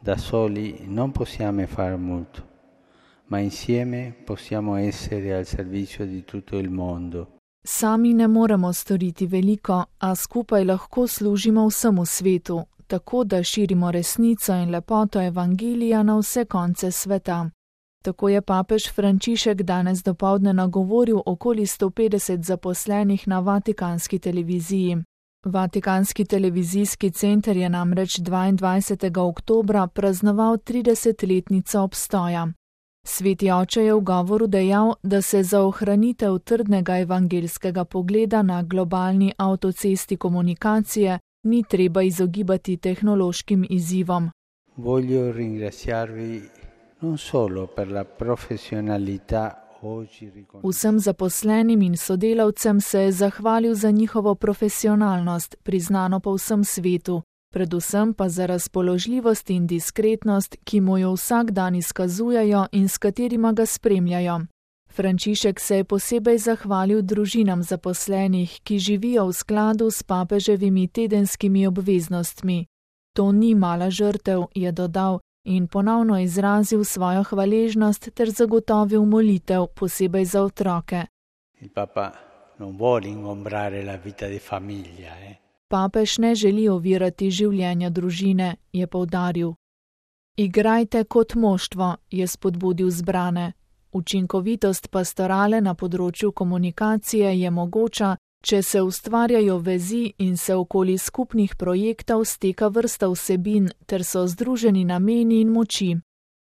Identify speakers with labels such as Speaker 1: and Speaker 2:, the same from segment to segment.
Speaker 1: Da soli non possiamo fare molto, ma insieme possiamo essere al servizio di tutto il mondo.
Speaker 2: Sami ne moremo storiti veliko, a skupaj lahko služimo vsemu svetu, tako da širimo resnico in lepoto Evangelija na vse konce sveta. Tako je papež Frančišek danes dopoldne nagovoril okoli 150 zaposlenih na Vatikanski televiziji. Vatikanski televizijski center je namreč 22. oktobra praznoval 30-letnico obstoja. Sveti oče je v govoru dejal, da se za ohranitev trdnega evangeljskega pogleda na globalni avtocesti komunikacije ni treba izogibati tehnološkim izzivom.
Speaker 1: Voglio ringraziarvi non solo per la professionalità oggi riconosciuta.
Speaker 2: Vsem zaposlenim in sodelavcem se je zahvalil za njihovo profesionalnost, priznano po vsem svetu, predvsem pa za razpoložljivost in diskretnost, ki mu jo vsak dan izkazujejo in s katerima ga spremljajo. Frančišek se je posebej zahvalil družinam zaposlenih, ki živijo v skladu s papeževimi tedenskimi obveznostmi. To ni mala žrtev, je dodal in ponovno izrazil svojo hvaležnost ter zagotovil molitev, posebej za otroke.
Speaker 1: Il Papa non vuole ingombrare la vita di famiglia.
Speaker 2: Papež ne želi ovirati življenja družine, je poudaril. Igrajte kot moštvo, je spodbudil zbrane. Učinkovitost pastorale na področju komunikacije je mogoča, če se ustvarjajo vezi in se okoli skupnih projektov steka vrsta vsebin ter so združeni nameni in moči.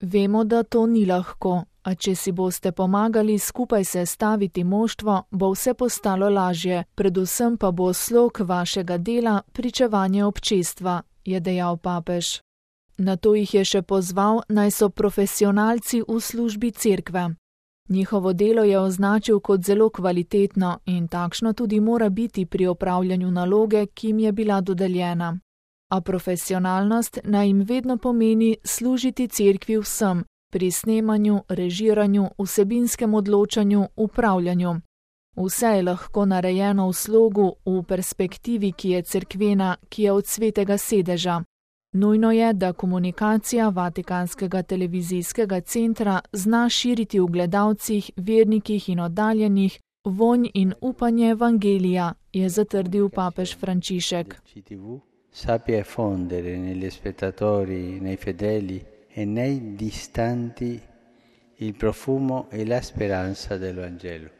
Speaker 2: Vemo, da to ni lahko, a če si boste pomagali skupaj sestaviti moštvo, bo vse postalo lažje, predvsem pa bo slog vašega dela pričevanje občestva, je dejal papež. Nato jih je še pozval, naj so profesionalci v službi cerkve. Njihovo delo je označil kot zelo kvalitetno in takšno tudi mora biti pri opravljanju naloge, ki jim je bila dodeljena. A profesionalnost naj jim vedno pomeni služiti cerkvi vsem, pri snemanju, režiranju, vsebinskem odločanju, upravljanju. Vse je lahko narejeno v slogu, v perspektivi, ki je cerkvena, ki je od svetega sedeža. Nujno je, da komunikacija Vatikanskega televizijskega centra zna širiti v gledalcih, vernikih in oddaljenih vonj in upanje Evangelija, je zatrdil papež Frančišek.
Speaker 1: Sappia fondere negli spettatori, nei fedeli e nei distanti il profumo e la speranza del Vangelo.